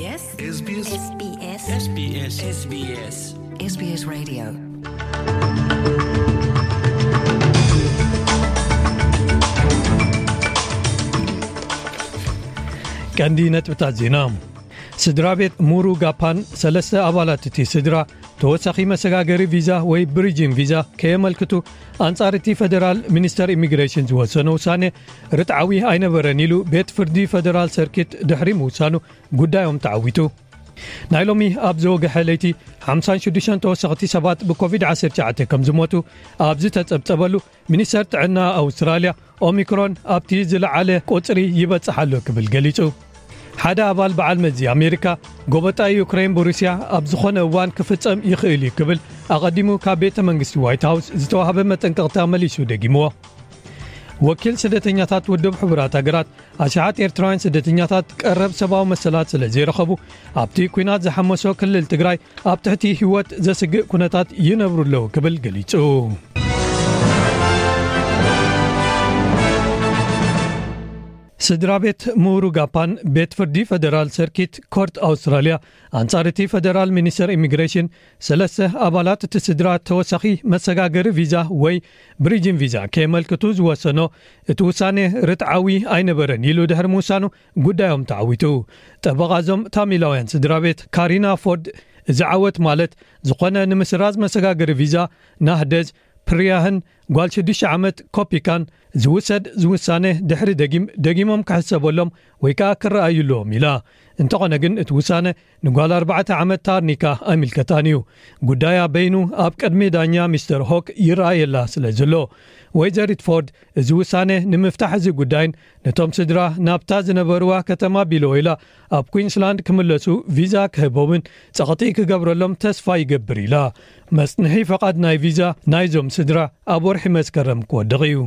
SBS SBS SBS SBS SBS Radio. ቀንዲ ነጥብታት ዜና። ስድራ ቤት ሙሩ ጋፓን ሰለስተ ኣባላት እቲ ስድራ ተወሳኺ መሰጋገሪ ቪዛ ወይ ብሪጅን ቪዛ ከየመልክቱ ኣንጻር እቲ ፈደራል ሚኒስተር ኢሚግሬሽን ዝወሰነ ውሳኔ ርትዓዊ ኣይነበረን ኢሉ ቤት ፍርዲ ፈደራል ሰርኪት ድሕሪ ምውሳኑ ጉዳዮም ተዓዊቱ። ናይ ሎሚ ኣብ ዝወግሐ ለይቲ ሓምሳን ሽዱሽተን ተወሰኽቲ ሰባት ብኮቪድ ዓሰርተ ትሽዓተ ከም ዝሞቱ ኣብ ዝተጸብጸበሉ፣ ሚኒስተር ጥዕና ኣውስትራልያ ኦሚክሮን ኣብቲ ዝለዓለ ቁጽሪ ይበጽሕ ኣሎ ክብል ገሊጹ። ሓደ ኣባል በዓል መዚ ኣሜሪካ፣ ጎበጣ ዩክሬን ብሩስያ ኣብ ዝኾነ እዋን ክፍጸም ይኽእል እዩ ክብል ኣቐዲሙ ካብ ቤተ መንግስቲ ዋይት ሃውስ ዝተዋህበ መጠንቀቕታ መሊሱ ደጊምዎ። ወኪል ስደተኛታት ውድብ ሕቡራት ሃገራት፣ ኣሽሓት ኤርትራውያን ስደተኛታት ቀረብ ሰብኣዊ መሰላት ስለ ዘይረኸቡ ኣብቲ ኲናት ዝሓመሶ ክልል ትግራይ ኣብ ትሕቲ ህይወት ዘስግእ ኩነታት ይነብሩ ኣለዉ ክብል ገሊጹ። ስድራ ቤት ምሁሩ ጋፓን ቤት ፍርዲ ፈደራል ሰርኪት ኮርት ኣውስትራልያ ኣንጻር እቲ ፈደራል ሚኒስተር ኢሚግሬሽን ሰለስተ ኣባላት እቲ ስድራ ተወሳኺ መሰጋገሪ ቪዛ ወይ ብሪጅን ቪዛ ከየመልክቱ ዝወሰኖ እቲ ውሳኔ ርትዓዊ ኣይነበረን ኢሉ ድሕሪ ምውሳኑ ጉዳዮም ተዓዊቱ። ጠበቓዞም ታሚላውያን ስድራ ቤት ካሪና ፎርድ፣ እዚ ዓወት ማለት ዝኾነ ንምስራዝ መሰጋገሪ ቪዛ ናህደዝ ፕርያህን ጓል ሽዱሽተ ዓመት ኮፒካን ዝውሰድ ዝውሳነ ድሕሪ ደጊም ደጊሞም ክሕሰበሎም ወይ ከኣ ክረኣዩ ኣለዎም ኢላ። እንተኾነ ግን እቲ ውሳነ ንጓል ኣርባዕተ ዓመት ታርኒካ ኣይምልከታን እዩ። ጉዳያ በይኑ ኣብ ቅድሚ ዳኛ ሚስተር ሆክ ይረኣየላ ስለ ዘሎ፣ ወይዘሪት ፎርድ እዚ ውሳነ ንምፍታሕ እዚ ጉዳይን ነቶም ስድራ ናብታ ዝነበርዋ ከተማ ቢሎወይላ ኣብ ኩዊንስላንድ ክምለሱ ቪዛ ክህቦምን ጸቕጢ ክገብረሎም ተስፋ ይገብር ኢላ። መጽንሒ ፈቓድ ናይ ቪዛ ናይዞም ስድራ ኣብ ወርሒ መስከረም ክወድቕ እዩ።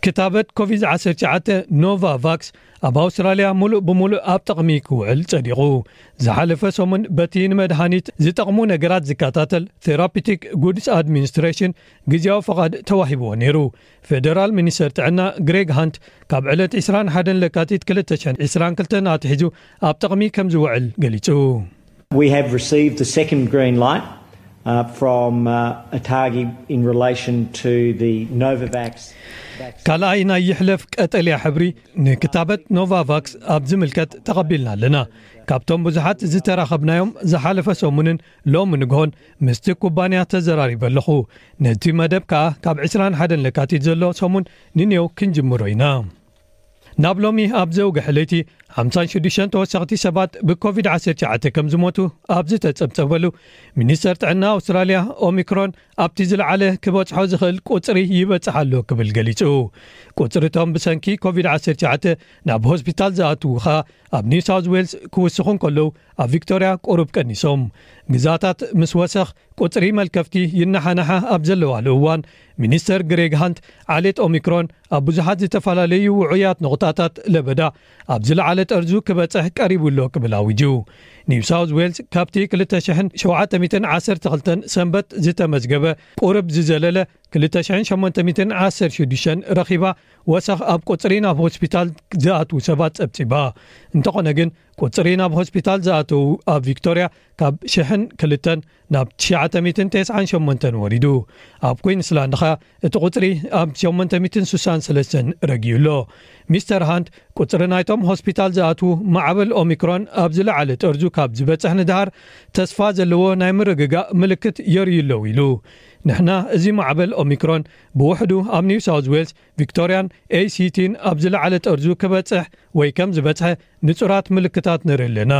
ክታበት ኮቪድ ዓሰርተ ትሽዓተ ኖቫቫክስ ኣብ ኣውስትራልያ ሙሉእ ብሙሉእ ኣብ ጥቕሚ ክውዕል ጸዲቑ። ዝሓለፈ ሰሙን በቲ ንመድሃኒት ዝጠቕሙ ነገራት ዝከታተል ቴራፒቲክ ጉድስ ኣድሚኒስትሬሽን ግዜያዊ ፈቓድ ተዋሂብዎ ነይሩ። ፌደራል ሚኒስተር ጥዕና ግሬግ ሃንት ካብ ዕለት ዕስራን ሓደን ለካቲት ክልተ ሽሕን ዕስራን ክልተን ኣትሒዙ ኣብ ጥቕሚ ከም ዝውዕል ገሊጹ። We have received the second green light uh, from uh, Atagi in relation to the Novavax vaccine. ካልኣይ ናይ ይሕለፍ ቀጠልያ ሕብሪ ንክታበት ኖቫቫክስ ኣብ ዝምልከት ተቐቢልና ኣለና። ካብቶም ብዙሓት ዝተራኸብናዮም ዝሓለፈ ሰሙንን ሎሚ ንግሆን ምስቲ ኩባንያ ተዘራሪበ ኣለኹ። ነቲ መደብ ከኣ ካብ ዕስራን ሓደን ለካቲት ዘሎ ሰሙን ንኔው ክንጅምሮ ኢና። ናብ ሎሚ ኣብ ዘውግሐ ለይቲ ሓምሳን ሽዱሽተን ተወሰኽቲ ሰባት ብኮቪድ ዓሰርተ ትሽዓተ ከም ዝሞቱ ኣብ ዝተጸብጸበሉ፣ ሚኒስተር ጥዕና ኣውስትራልያ ኦሚክሮን ኣብቲ ዝለዓለ ክበጽሖ ዝኽእል ቁጽሪ ይበጽሕ ኣሎ ክብል ገሊጹ። ቁጽሪ እቶም ብሰንኪ ኮቪድ ዓሰርተ ትሽዓተ ናብ ሆስፒታል ዝኣትዉ ኸኣ ኣብ ኒው ሳውዝ ዌልስ ክውስኹ እንከለዉ፣ ኣብ ቪክቶርያ ቁሩብ ቀኒሶም። ግዛታት ምስ ወሰኽ ቁጽሪ መልከፍቲ ይነሓናሓ ኣብ ዘለዋሉ እዋን፣ ሚኒስተር ግሬግ ሃንት ዓሌት ኦሚክሮን ኣብ ብዙሓት ዝተፈላለዩ ውዑያት ነቑጣታት ለበዳ ኣብ ዝለዓለ ጠርዙ ክበጽሕ ቀሪቡ ኣሎ ክብል ኣዊጁ። ኒው ሳውዝ ዌልስ ካብቲ ክልተ ሽሕን ሸውዓተ ሚእትን ዓሰርተ ክልተን ሰንበት ዝተመዝገበ ቁሩብ ዝዘለለ ክልተ ሽሕን ሸሞንተ ሚእትን ዓሰርተ ሽዱሽተን ረኺባ ወሰኽ ኣብ ቁጽሪ ናብ ሆስፒታል ዝኣትዉ ሰባት ጸብጺባ። እንተኾነ ግን ቁጽሪ ናብ ሆስፒታል ዝኣተዉ ኣብ ቪክቶርያ ካብ ሽሕን ክልተን ናብ ትሽዓተ ሚእትን ተስዓን ሸሞንተን ወሪዱ። ኣብ ኩዊንስላንድ ኸኣ እቲ ቁጽሪ ኣብ ሸሞንተ ሚእትን ስሳን ሰለስተን ረጊኡ ኣሎ። ሚስተር ሃንት ቁጽሪ ናይቶም ሆስፒታል ዝኣትዉ ማዕበል ኦሚክሮን ኣብ ዝለዓለ ጠርዙ ካብ ዝበጽሕ ንድሃር ተስፋ ዘለዎ ናይ ምርግጋእ ምልክት የርእዩ ኣለዉ ኢሉ። ንሕና እዚ ማዕበል ኦሚክሮን ብውሕዱ ኣብ ኒው ሳውዝ ዌልስ፣ ቪክቶርያን ኤሲቲን ኣብ ዝለዓለ ጠርዙ ክበጽሕ ወይ ከም ዝበጽሐ ንጹራት ምልክታት ንርኢ ኣለና።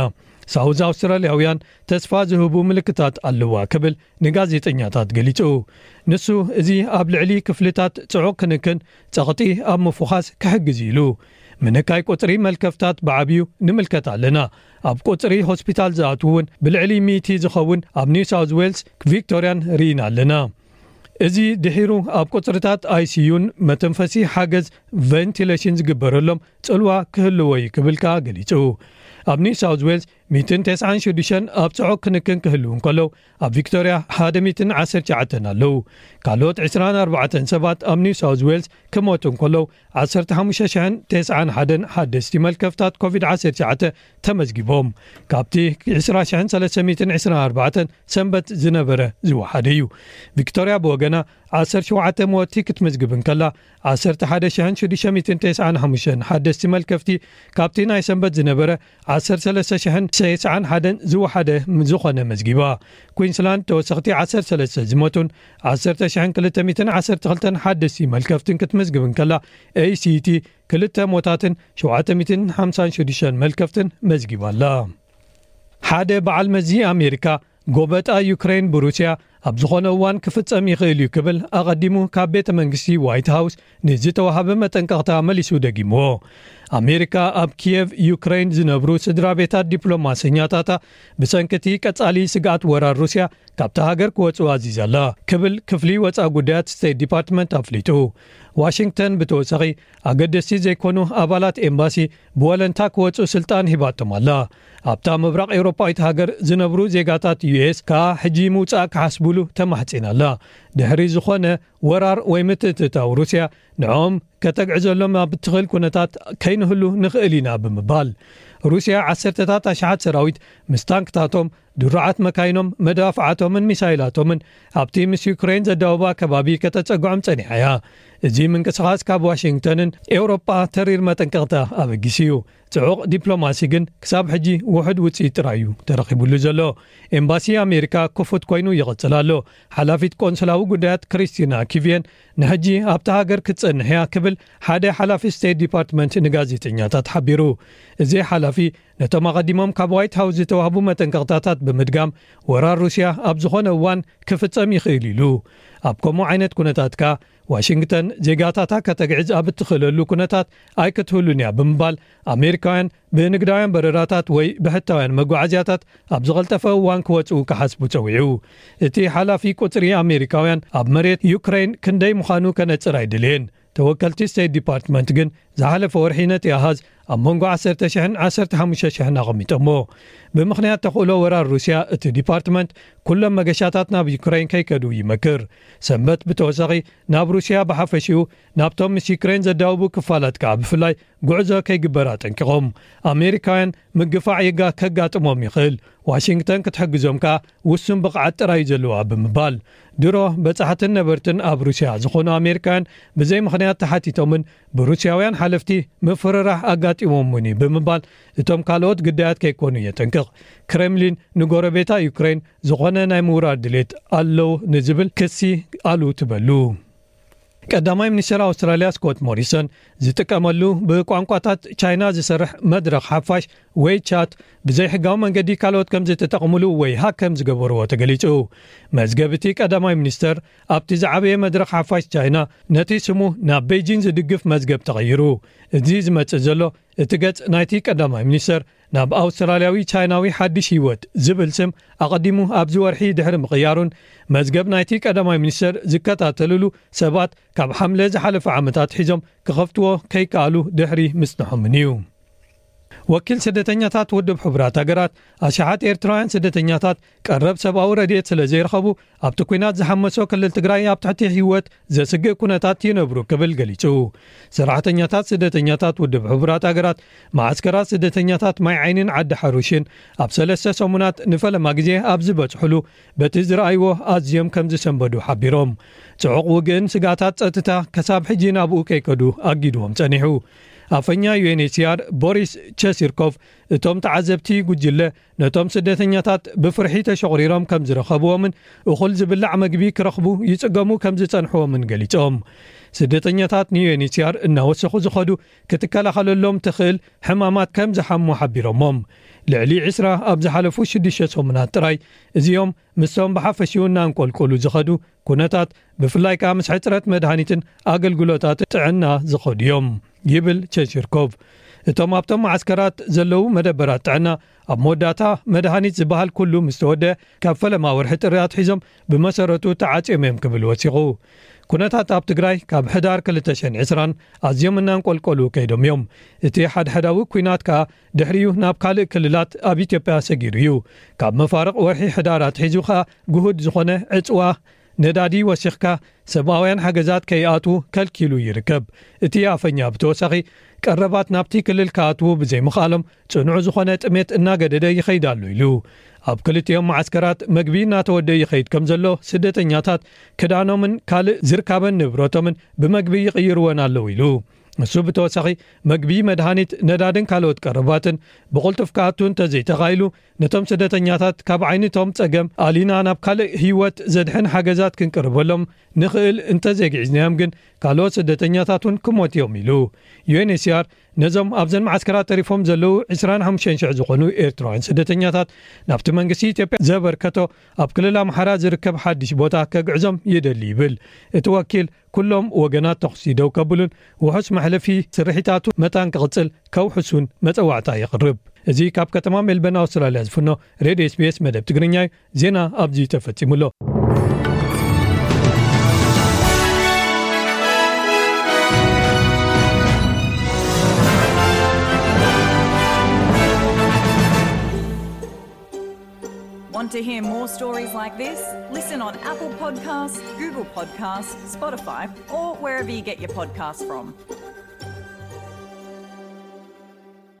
ሳውዝ ኣውስትራልያውያን ተስፋ ዝህቡ ምልክታት ኣለዋ ክብል ንጋዜጠኛታት ገሊጹ። ንሱ እዚ ኣብ ልዕሊ ክፍልታት ጽዑቕ ክንክን ጸቕጢ ኣብ ምፍዃስ ክሕግዝ እዩ ኢሉ። ምንካይ ቁጽሪ መልከፍታት ብዓብዩ ንምልከት ኣለና። ኣብ ቁጽሪ ሆስፒታል ዝኣትዉ እውን ብልዕሊ ሚእቲ ዝኸውን ኣብ ኒው ሳውዝ ዌልስ፣ ቪክቶርያን ርኢና ኣለና። እዚ ድሒሩ ኣብ ቁጽርታት ኣይሲዩን መተንፈሲ ሓገዝ ቨንቲሌሽን ዝግበረሎም ጽልዋ ክህልዎ እዩ ክብል ከኣ ገሊጹ። ኣብ ኒው ሳውዝ ዌልስ ሚእትን ተስዓን ሽዱሽተን ኣብ ጽዑቕ ክንክን ክህልዉ እንከለዉ፣ ኣብ ቪክቶርያ ሓደ ሚእትን ዓሰርተ ትሽዓተን ኣለዉ። ካልኦት ዕስራን ኣርባዕተን ሰባት ኣብ ኒው ሳውዝ ዌልስ ክሞቱ እንከለዉ፣ ዓሰርተ ሓሙሽተ ሽሕን ተስዓን ሓደን ሓደስቲ መልከፍታት ኮቪድ ዓሰርተ ትሽዓተ ተመዝጊቦም። ካብቲ ዕስራ ሽሕን ሰለስተ ሚእትን ዕስራን ኣርባዕተን ሰንበት ዝነበረ ዝወሓደ እዩ። ቪክቶርያ ብወገና ዓሰርተ ሸውዓተ መወቲ ክትምዝግብ እንከላ፣ ዓሰርተ ሓደ ሽሕን ሽዱሽተ ሚእትን ተስዓን ሓሙሽተን ሓደስቲ መልከፍቲ ካብቲ ናይ ሰንበት ዝነበረ ዓሰርተ ሰለስተ ሽሕን ተስዓን ሓደን ዝወሓደ ዝኾነ መዝጊባ። ኩዊንስላንድ ተወሰኽቲ ዓሰርተ ሰለስተ ዝሞቱን ዓሰርተ ሽሕን ክልተ ሚእትን ዓሰርተ ክልተን ሓደስቲ መልከፍትን ክትምዝግብ እንከላ፣ ኤ ሲ ቲ ክልተ ሞታትን ሸውዓተ ሚእትን ሓምሳን ሽዱሽተን መልከፍትን መዝጊባ ኣላ። ሓደ በዓል መዚ ኣሜሪካ፣ ጎበጣ ዩክሬን ብሩስያ ኣብ ዝኾነ እዋን ክፍጸም ይኽእል እዩ ክብል ኣቐዲሙ ካብ ቤተ መንግስቲ ዋይት ሃውስ ንዝተዋሃበ መጠንቀቕታ መሊሱ ደጊምዎ። ኣሜሪካ ኣብ ኪየቭ ዩክሬን ዝነብሩ ስድራ ቤታት ዲፕሎማሰኛታታ ብሰንኪ እቲ ቀጻሊ ስግኣት ወራር ሩስያ ካብታ ሃገር ክወጽኡ ኣዚዛ ኣላ ክብል ክፍሊ ወጻኢ ጉዳያት ስቴት ዲፓርትመንት ኣፍሊጡ። ዋሽንግተን ብተወሳኺ ኣገደስቲ ዘይኮኑ ኣባላት ኤምባሲ ብወለንታ ክወጹ ስልጣን ሂባቶም ኣላ። ኣብታ ምብራቕ ኤውሮጳዊት ሃገር ዝነብሩ ዜጋታት ዩ ኤስ ከኣ ሕጂ ምውጻእ ክሓስቡሉ ተማሕጺና ኣላ። ድሕሪ ዝኾነ ወራር ወይ ምትእትታው ሩስያ ንዕኦም ከተግዕዘሎም ኣብ እትኽእል ኩነታት ከይንህሉ ንኽእል ኢና ብምባል፣ ሩስያ ዓሰርተታት ኣሽሓት ሰራዊት ምስ ታንክታቶም፣ ድሩዓት መካይኖም፣ መዳፍዓቶምን ሚሳይላቶምን ኣብቲ ምስ ዩክሬን ዘዳወባ ከባቢ ከተጸግዖም ጸኒሓ እያ። እዚ ምንቅስቓስ ካብ ዋሽንግተንን ኤውሮጳ ተሪር መጠንቀቕታ ኣበጊሱ እዩ። ጽዑቕ ዲፕሎማሲ ግን ክሳብ ሕጂ ውሑድ ውጽኢት ጥራይ እዩ ተረኺቡሉ ዘሎ። ኤምባሲ ኣሜሪካ ክፉት ኮይኑ ይቕጽል ኣሎ። ሓላፊት ቆንስላዊ ጉዳያት ክሪስቲና ኪቪየን ንሕጂ ኣብታ ሃገር ክትጸንሕ እያ ክብል ሓደ ሓላፊ ስቴት ዲፓርትመንት ንጋዜጠኛታት ሓቢሩ። እዚ ሓላፊ ነቶም ኣቐዲሞም ካብ ዋይት ሃውስ ዝተዋህቡ መጠንቀቕታታት ብምድጋም፣ ወራር ሩስያ ኣብ ዝኾነ እዋን ክፍጸም ይኽእል ኢሉ። ኣብ ከምኡ ዓይነት ኩነታት ከኣ ዋሽንግተን ዜጋታታ ከተግዕዝ ኣብ እትኽእለሉ ኩነታት ኣይክትህሉን እያ ብምባል፣ ኣሜሪካውያን ብንግዳውያን በረራታት ወይ ብሕታውያን መጓዓዝያታት ኣብ ዝቐልጠፈ እዋን ክወጽኡ ክሓስቡ ጸዊዑ። እቲ ሓላፊ ቁጽሪ ኣሜሪካውያን ኣብ መሬት ዩክሬን ክንደይ ምዃኑ ከነጽር ኣይደለየን። ተወከልቲ ስቴት ዲፓርትመንት ግን ዝሓለፈ ወርሒ ነቲ ኣሃዝ ኣብ መንጎ ዓሰርተ ሽሕን ዓሰርተ ሓሙሽተ ሽሕን ኣቐሚጦሞ። ብምኽንያት ተኽእሎ ወራር ሩስያ እቲ ዲፓርትመንት ኩሎም መገሻታት ናብ ዩክሬን ከይከዱ ይመክር። ሰንበት ብተወሳኺ ናብ ሩስያ ብሓፈሽኡ ናብቶም ምስ ዩክሬን ዘዳውቡ ክፋላት ከኣ ብፍላይ ጉዕዞ ከይግበር ኣጠንቂቖም። ኣሜሪካውያን ምግፋዕ የጋ ከጋጥሞም ይኽእል፣ ዋሽንግተን ክትሕግዞም ከኣ ውሱን ብቕዓት ጥራይ እዩ ዘለዋ ብምባል፣ ድሮ በጻሕትን ነበርትን ኣብ ሩስያ ዝኾኑ ኣሜሪካውያን ብዘይ ምኽንያት ተሓቲቶምን ብሩስያውያን ሓለፍቲ ምፍርራሕ ኣጋጢሞም እውን እዩ ብምባል፣ እቶም ካልኦት ግዳያት ከይኮኑ የጠንቅቕ። ክሬምሊን ንጎረቤታ ዩክሬን ዝኾነ ናይ ምውራር ድሌት ኣለዉ ንዝብል ክሲ ኣሉ ትበሉ። ቀዳማይ ሚኒስትር ኣውስትራልያ ስኮት ሞሪሰን ዝጥቀመሉ ብቋንቋታት ቻይና ዝሰርሕ መድረኽ ሓፋሽ ወይ ቻት ብዘይሕጋዊ መንገዲ ካልኦት ከም ዝተጠቕምሉ ወይ ሃክ ከም ዝገበርዎ ተገሊጹ። መዝገብ እቲ ቀዳማይ ሚኒስተር ኣብቲ ዝዓበየ መድረኽ ሓፋሽ ቻይና ነቲ ስሙ ናብ ቤጂን ዝድግፍ መዝገብ ተቐይሩ። እዚ ዝመጽእ ዘሎ እቲ ገጽ ናይቲ ቀዳማይ ሚኒስተር ናብ ኣውስትራልያዊ ቻይናዊ ሓድሽ ህይወት ዝብል ስም ኣቐዲሙ ኣብዚ ወርሒ ድሕሪ ምቕያሩን መዝገብ ናይቲ ቀዳማይ ሚኒስተር ዝከታተልሉ ሰባት ካብ ሓምለ ዝሓለፈ ዓመታት ሒዞም ክኸፍትዎ ከይከኣሉ ድሕሪ ምጽንሖምን እዩ። ወኪል ስደተኛታት ውድብ ሕቡራት ሃገራት ኣሽሓት ኤርትራውያን ስደተኛታት ቀረብ ሰብኣዊ ረድኤት ስለ ዘይረኸቡ ኣብቲ ኲናት ዝሓመሶ ክልል ትግራይ ኣብ ትሕቲ ህይወት ዘስግእ ኩነታት ይነብሩ ክብል ገሊጹ። ሰራሕተኛታት ስደተኛታት ውድብ ሕቡራት ሃገራት መዓስከራት ስደተኛታት ማይ ዓይኒን ዓዲ ሓሩሽን ኣብ ሰለስተ ሰሙናት ንፈለማ ግዜ ኣብ ዝበጽሕሉ በቲ ዝረኣይዎ ኣዝዮም ከም ዝሰንበዱ ሓቢሮም። ጽዑቕ ውግእን ስጋታት ጸጥታ ከሳብ ሕጂ ናብኡ ከይከዱ ኣጊድዎም ጸኒሑ። ኣፈኛ ዩ ኤን ኤች ሲ ኣር ቦሪስ ቸሲርኮቭ እቶም ተዓዘብቲ ጉጅለ ነቶም ስደተኛታት ብፍርሒ ተሸቑሪሮም ከም ዝረኸብዎምን እኹል ዝብላዕ መግቢ ክረኽቡ ይጽገሙ ከም ዝጸንሕዎምን ገሊጾም። ስደተኛታት ን ዩ ኤን ኤች ሲ ኣር እናወሰኹ ዝኸዱ ክትከላኸለሎም ትኽእል ሕማማት ከም ዝሓሙ ሓቢሮሞም። ልዕሊ ዕስራ ኣብ ዝሓለፉ ሽዱሽተ ሰሙናት ጥራይ እዚኦም ምስቶም ብሓፈሽኡ እናንቆልቆሉ ዝኸዱ ኩነታት ብፍላይ ከኣ ምስ ሕጽረት መድሃኒትን ኣገልግሎታት ጥዕና ዝኸዱ እዮም ይብል ቸንሽርኮቭ። እቶም ኣብቶም መዓስከራት ዘለዉ መደበራት ጥዕና ኣብ መወዳእታ መድሃኒት ዝበሃል ኩሉ ምስ ተወደአ ካብ ፈለማ ወርሒ ጥሪ ኣትሒዞም ብመሰረቱ ተዓጽዮም እዮም ክብል ወሲኹ። ኩነታት ኣብ ትግራይ ካብ ሕዳር ክልተ ሽሕን ዕስራን ኣዝዮም እናንቆልቆሉ ከይዶም እዮም። እቲ ሓድሓዳዊ ኲናት ከኣ ድሕሪኡ ናብ ካልእ ክልላት ኣብ ኢትዮጵያ ሰጊሩ እዩ። ካብ መፋርቕ ወርሒ ሕዳር ኣትሒዙ ከኣ ግሁድ ዝኾነ ዕጽዋ ነዳዲ ወሲኽካ ሰብኣውያን ሓገዛት ከይኣትዉ ከልኪሉ ይርከብ። እቲ ኣፈኛ ብተወሳኺ ቀረባት ናብቲ ክልል ክኣትዉ ብዘይምኽኣሎም ጽኑዕ ዝኾነ ጥሜት እናገደደ ይኸይድ ኣሎ ኢሉ። ኣብ ክልቲኦም መዓስከራት መግቢ እናተወደእ ይኸይድ ከም ዘሎ ስደተኛታት ክዳኖምን ካልእ ዝርካበን ንብረቶምን ብመግቢ ይቕይርወን ኣለዉ ኢሉ። ንሱ ብተወሳኺ መግቢ፣ መድሃኒት፣ ነዳድን ካልኦት ቀረባትን ብቕልጡፍ ክኣቱ እንተዘይተኻኢሉ ነቶም ስደተኛታት ካብ ዓይነቶም ጸገም ኣሊና ናብ ካልእ ህይወት ዘድሕን ሓገዛት ክንቅርበሎም ንኽእል እንተዘይግዒዝናዮም ግን ካልኦት ስደተኛታት እውን ክሞት እዮም ኢሉ። ዩ ኤን ኤች ሲ ኣር ነዞም ኣብዘን መዓስከራት ተሪፎም ዘለዉ ዕስራን ሓሙሽተን ሽሕ ዝኾኑ ኤርትራውያን ስደተኛታት ናብቲ መንግስቲ ኢትዮጵያ ዘበርከቶ ኣብ ክልል ኣምሓራ ዝርከብ ሓድሽ ቦታ ከግዕዞም ይደሊ ይብል። እቲ ወኪል ኩሎም ወገናት ተኹሲ ደው ከብሉን ውሑስ መሕለፊ ስርሒታቱ መታን ክቕጽል ከውሕሱን መጸዋዕታ የቕርብ። እዚ ካብ ከተማ ሜልበርን ኣውስትራልያ ዝፍኖ ሬድዮ ኤስ ቢ ኤስ መደብ ትግርኛ እዩ። ዜና ኣብዚ ተፈጺሙ ኣሎ። Want to hear more stories like this? Listen on Apple Podcasts, Google Podcasts, Spotify, or wherever you get your podcasts from.